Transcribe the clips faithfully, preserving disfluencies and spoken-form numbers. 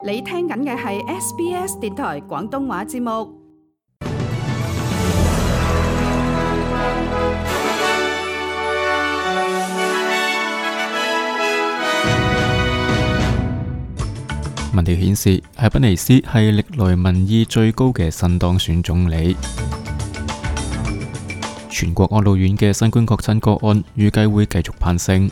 你聽緊嘅係 S B S 電台廣東話節目。民調顯示，艾賓尼斯係歷來民意最高嘅新當選總理。全國安老院嘅新冠確診個案預計會繼續攀升。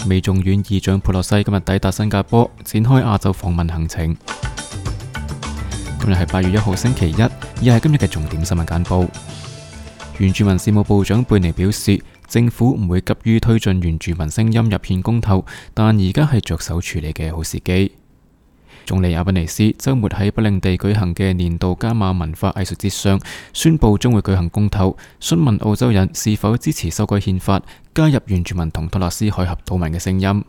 美眾院議長佩洛西今日抵達新加坡，展開亞洲訪問行程。今日係八月一號星期一，以下係今日嘅重點新聞簡報。原住民事務部長貝尼表示，政府唔會急於推進原住民聲音入憲公投，但而家係着手處理嘅好時機。總理阿賓尼斯周末喺北領地舉行嘅年度加馬文化藝術節上，宣布將會舉行公投，詢問澳洲人是否支持修改憲法，加入原住民同托勒斯海峽島民嘅聲音。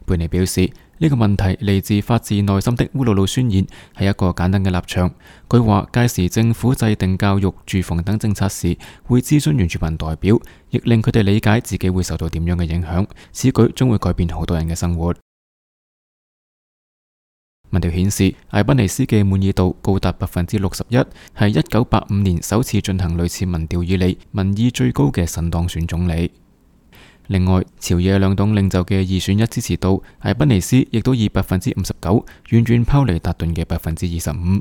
貝尼表示，呢個問題嚟自發自內心的烏魯魯宣言，係一個簡單嘅立場。佢話屆時政府制定教育、住房等政策時，會諮詢原住民代表，亦令佢哋理解自己會受到點樣嘅影響。此舉將會改變好多人嘅生活。民調顯示，艾賓尼斯嘅滿意度高達百分之六十一，係一九八五年首次進行類似民調以嚟民意最高嘅新當選總理。另外，朝野兩黨領袖嘅二選一支持度，艾賓尼斯亦都以百分之五十九，遠遠拋離達頓嘅百分之二十五。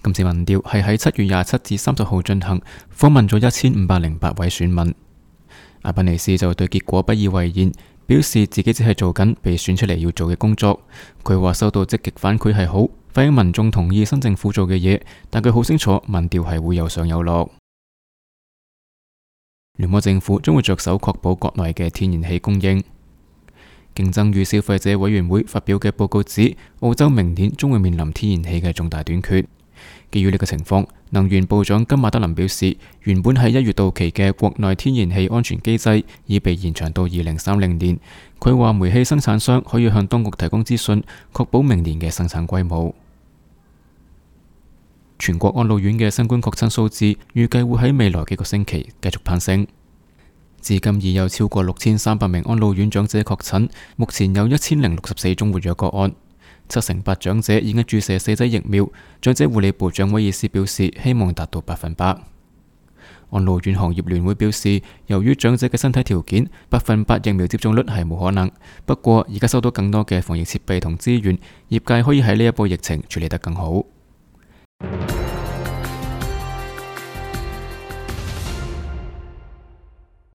今次民調係喺七月廿七至三十號進行，訪問咗一千五百零八位選民。艾賓尼斯就對結果不以為然，表示自己只係做緊被選出嚟要做嘅工作。佢話收到積極反饋係好，反映民眾同意新政府做嘅嘢，但佢好清楚民調係會有上有落。聯邦政府將會着手確保國內嘅天然氣供應。競爭與消費者委員會發表嘅報告指，澳洲明年將會面臨天然氣嘅重大短缺。基於呢個情況，能源部長金馬德林表示，原本喺一月到期嘅國內天然氣安全機制已被延長到二零三零年。佢話煤氣生產商可以向當局提供資訊，確保明年嘅生產規模。全國安老院嘅新冠確診數字預計會喺未來幾個星期繼續攀升。至今已有超過六千三百名安老院長者確診，目前有一千零六十四宗活躍個案。七成八長者已經注射四劑疫苗。長者護理部長威爾斯表示，希望達到百分百。安老院行業聯會表示，由於長者嘅身體條件，百分百疫苗接種率係冇可能。不過而家收到更多嘅防疫設備同資源，業界可以喺呢一波疫情處理得更好。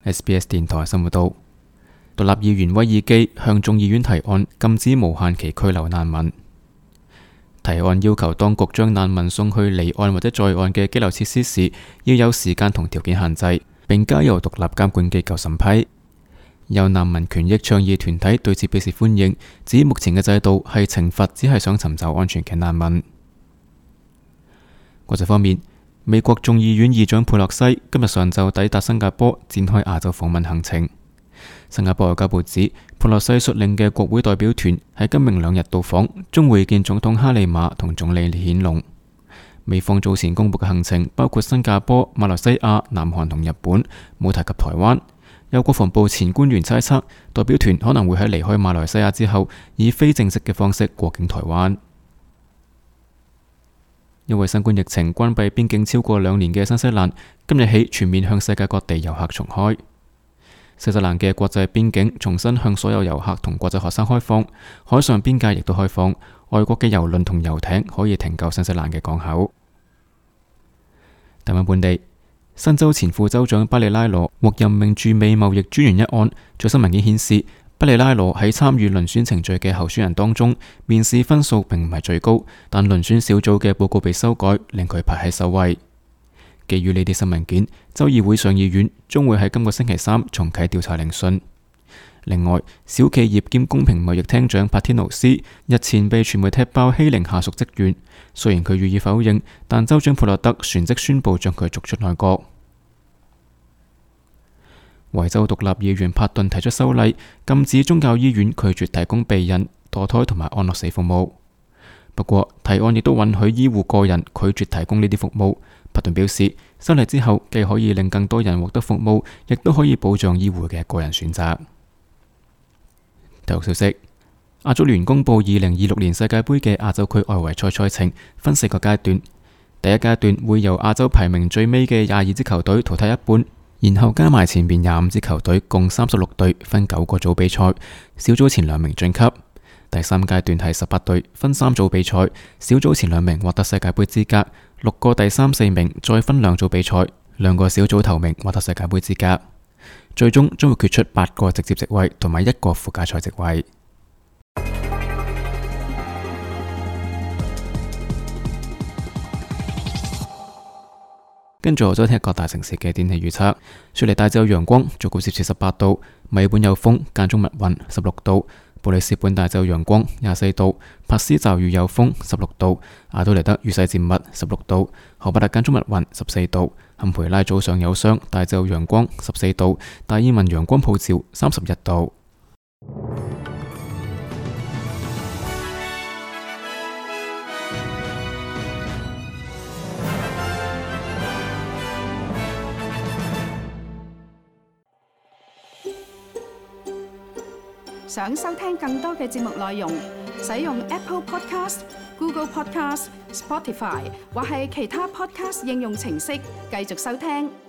S B S 電台新聞道，獨立議員威爾基向眾議院提案禁止無限期拘留難民。提案要求當局將難民送去離岸或者在岸嘅羈留設施時，要有時間同條件限制，並交由獨立監管機構審批。有難民權益倡議團體對此表示歡迎，指目前嘅制度係懲罰只係想尋找安全嘅難民。國際方面，美國眾議院議長佩洛西今日上晝抵達新加坡，展開亞洲訪問行程。新加坡外交部指，佩洛西率領嘅國會代表團喺今明兩日到訪，將會見總統哈利瑪同總理李顯龍。美方早前公布嘅行程包括新加坡、馬來西亞、南韓同日本，冇提及台灣。有國防部前官員猜測，代表團可能會喺離開馬來西亞之後，以非正式嘅方式過境台灣。因為新冠疫情關閉邊境超過兩年嘅新西蘭，今日起全面向世界各地遊客重開。新西蘭嘅國際邊境重新向所有遊客同國際學生開放，海上邊界亦都開放，外國嘅郵輪同遊艇可以停靠新西蘭嘅港口。台灣本地，新州前副州長巴里拉羅獲任命駐美貿易專員一案，最新文件顯示，巴里拉羅喺參與遴選程序嘅候選人當中，面試分數並唔係最高，但遴選小組嘅報告被修改，令佢排喺首位。基於呢啲新文件，州議會上議院將會喺今個星期三重啟調查聆訊。另外，小企業兼公平貿易廳長帕天奴斯日前被傳媒踢爆欺凌下屬職員，雖然佢予以否認，但州長普洛德旋即宣布將佢逐出內閣。維州獨立議員帕頓提出修例，禁止宗教醫院拒絕提供避孕、墮胎同埋安樂死服務。不過，提案亦都允許醫護個人拒絕提供呢啲服務。帕頓表示，修例之後既可以令更多人獲得服務，亦都可以保障醫護嘅個人選擇。體育消息：亞足聯公佈二零二六年世界盃嘅亞洲區外圍賽賽程，分四個階段。第一階段會由亞洲排名最尾嘅廿二支球隊淘汰一半，然後加埋前面廿五支球隊，共三十六隊，分九個組比賽，小組前兩名晉級。第三階段係十八隊，分三組比賽，小組前兩名獲得世界盃資格，六個第三四名再分兩組比賽，兩個小組頭名獲得世界盃資格。最終將會決出八個直接席位同埋一個附加賽席位。跟住我再聽各大城市嘅天氣預測。雪梨大致有陽光，最高攝氏十八度；墨爾本有風，間中密雲，十六度；布里斯本大致有陽光，廿四度；珀斯驟雨有風，十六度；阿德萊德雨勢漸密，十六度；荷伯特間中密雲，十四度；坎培拉早上有霜，大致有陽光，十四度；達爾文陽光普照，三十一度。想收聽更多嘅節目內容，使用 Apple Podcast、Google Podcast、Spotify 或係其他 Podcast 應用程式繼續收聽。